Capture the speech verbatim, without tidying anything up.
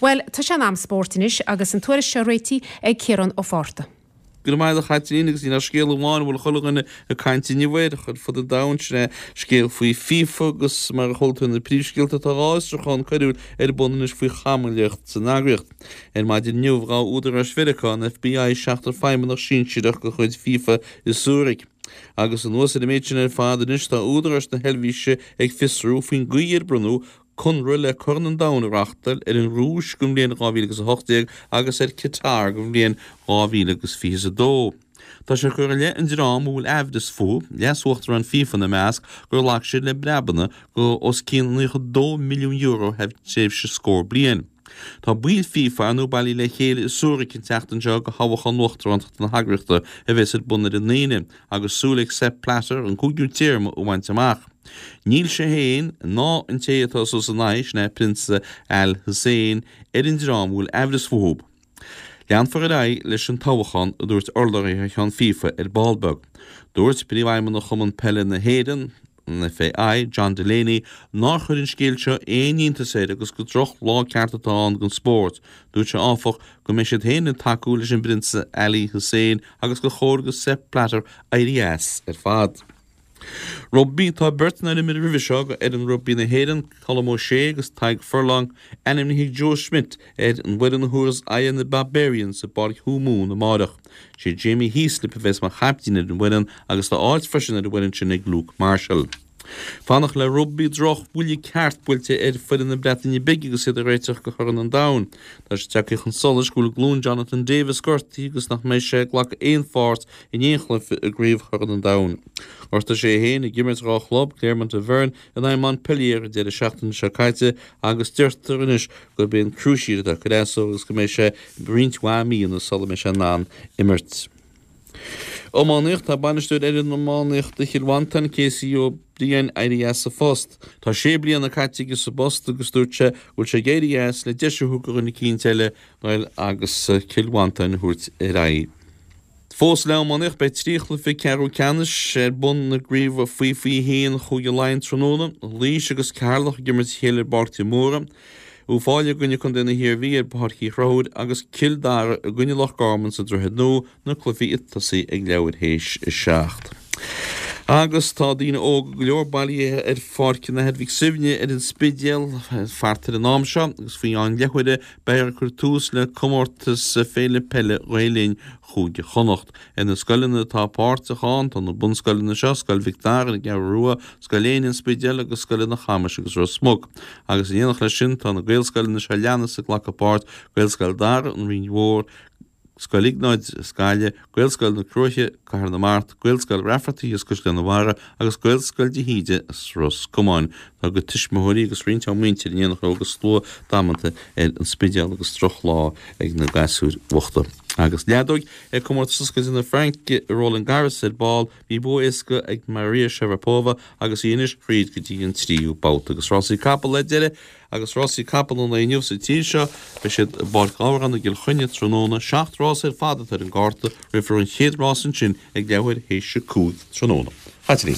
Bhuel, tá sé in am spóirt anois agus an tuairisc seo réitithe ag Ciarán Ó Fátharta. Go raibh maith agat a Chaitlín agus níl ach scéal amháin a bhfuil chuile dhuine ag caint inniu air ar fud an domhain, sin é scéal faoi FIFA agus mar a chuala tú na príomhscéalta tá dhá fhiosrúchán coiriúil ar bun anois faoi chamalaíocht san eagraíocht. Ar maidin inniu ghabh údaráis Mheiriceá, an FBI, seachtar feidhmeannach sinsearach de chuid FIFA i Zurich. Agus anuas ar an méid sin ar fad anois tá údaráis na hEilvéise ag fiosrú faoin gcaoi ar bronnadh conradh le Corn an Domhain a reáchtáil ar an Rúis don bhliain dhá mhíle agus a hocht déag agus ar Qatar don bhliain dhá mhíle agus fiche a dó. Tá sé curtha i leith an dream a bhfuil aimhreas fúthu, leas-uachtarán FIFA ina measc, gur ghlac siad le breabanna de os cionn naocha dó milliún euro thar tréimhse scór bliain. Tá baill FIFA ar ndóigh bailithe le chéile i Zurich an tseachtain seo do thoghchán uachtaránachta na heagraíochta a bheas ar bun ar an Aoine agus súil ag Sepp Blatter an cúigiú téarma a bhaint amach. Níl sé féin ná an té atá suas ina aghaidh, sin é Prionsa Al Hussein, ar an dream a bhfuil aimhreas fúthu. Leanfar ar aghaidh leis an toghchán, a dúirt urlabhraí thar ceann FIFA ar ball beag. Dúirt Príomhfheidhmeannach Chumann Peile na hÉireann, an FAI, John Delaney, nár chuir an scéal seo aon iontas air agus gur droch lá ceart atá ann don spórt. Dúirt sé áfach go mbeidh siad féin ag tacú leis an bPrionsa Ali Hussein agus gur chóir do Sepp Blatter éirí as ar fad. Rugbaí, Tá beirt nár imir roimhe seo do fhoireann rugbaí na hÉireann, Colm O'Shea agus Tadhg Furlong, ainmnithe ag Joe Schmidt ar an bhfoireann a thabharfas aghaidh ar na Barbarians i bPáirc Thuamhumhan amáireach. Sé Jamie Heaslip a bheas mar chaiptín ar an bhfoireann agus tá áit freisin ar an bhfoireann sin ag Luke Marshall. Fanacht le rugbaí, Droch bhuille ceart buailte ar foireann na Breataine Bige agus iad ag réiteach do Chorn an Domhain. Tá sé tagtha chun solais go bhfuil glúin Jonathan Davies gortaithe agus nach mbeidh sé ag glacadh aon pháirt in aon chluiche i gCraobh Chorn an Domhain. Ghortaigh sé é féin ag imirt dhá chlub, Clermont Auvergne in aghaidh Montpellier an deireadh seachtaine seo caite agus deirtear anois gurb é an cruciate atá ag cur as dó agus go mbeidh sé roinnt mhaith míonna sula mbeidh sé in ann imirt. Iománaíocht, Tá bainisteoir fhoireann iománaíochta Chill Mhantáin, Casey Ó Briain, éirithe as a phost. Tá sé bliana caite aige sa bpost agus dúirt sé go bhfuil sé ag éirí as le deis a thabhairt do dhuine eicínt eile dul agus Cill Mhantáin a thabhairt ar aghaidh. Fós le iománaíocht, beidh trí chluiche ceathrú ceannais ar bun i gcraobh faoi fiche a haon Chúige Laighean tráthnóna, Laois agus Ceatharlach ag imirt a chéile ar bPáirc de Mórdha, Uíbh Fhailí i gcoinne Contae na hIarmhí ar Pháirc Uí Chonchúir agus Cill Dara i gcoinne Loch Garman sa Droichead Nua, na cluichí ag tosaí ag leathuair théis a seacht. Agus tá daoine óga go leor bailithe ar Pháirc an Athar Mhic Suibhne ar an Spidéal thart ar an am seo agus faoi cheann leathuaire beifear ag cur tús le comórtas Féile Peile Ghael Linn Chúige Chonnacht. Ar na scoileanna atá páirteach ann tá na bunscoileanna seo, Scoil Mhic Dara ar an gCeathrú Rua, Scoil Éinne, An Spidéal agus scoileanna Chamais agus Ros Muc. Agus in éineacht leis sin tá na Gaelscoileanna seo a leanas ag glacadh páirt, Gaelscoil Dara, An Rinn Mhór, Scoil Iognáid as Gaillimh, Gaelscoil na Cruaiche, Cathair na Mart, Gaelscoil Raifeartaigh as Caisleán an Bharraigh agus Gaelscoil de hÍde as Ros Comáin. Tá a gcuid tuismitheoirí agus roinnt dá muintir in éineacht leo agus slua damanta ar an Spidéal agus drochlá ag na gasúir bhochta. Agus leadóg ag Comórtas Oscailte na Fraince i Roland Garros ar ball, bhí bua éasca ag Maria Sharapova agus í anois thríd go dtí an tríú babhta. Agus rásaí capall le deireadh Agus rásaí capall an lae inniu sa tír seo, beidh siad i bPáirc Ghabhráin i gCill Chainnigh tráthnóna. Seacht rás ar fad atá ar an gcárta, rithfear an chéad rás ansin ag leathuair théis a cúig tráthnóna. Caitlín.